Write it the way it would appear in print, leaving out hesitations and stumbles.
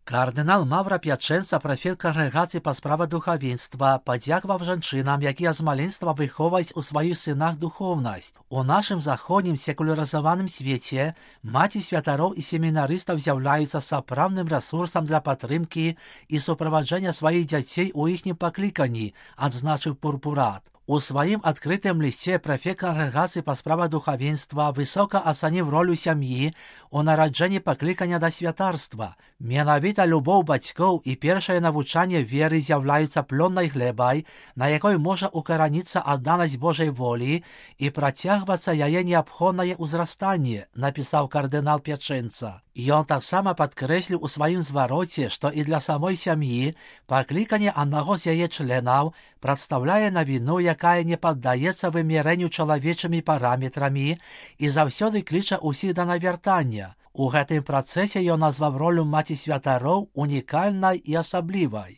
Кардинал Мавра П'яченца, префект конгрегації по справах духовенства, подякував жінчинам, які з маленства виховують у своїх синах духовність. У нашому заходнім секуляризованому світі маті святарів і семінаристів з'являються справним ресурсом для підтримки і супроводження своїх дітей у їхнім покликанні, відзначив Пурпурат. У своїм відкритому листі префект конгрегації по справах духовенства високо оцінив роль сім'ї у народженні покликання до святарства. Менавіта любов батьків і перше навчання віри з'являються плодною глебою, на якій може укорінитися відданість Божій волі і протягуватися її необхідне узростання, написав кардинал П'яченца. І він так само підкреслив у своїм звороті, що і для самої сім'ї покликання одного з її членів представляє новину, яка не піддається виміренню чоловічими параметрами і завсюди кличе усіх до навертання. У гэтым працэсе ён назваў ролю маці святароў унікальнай і асаблівай.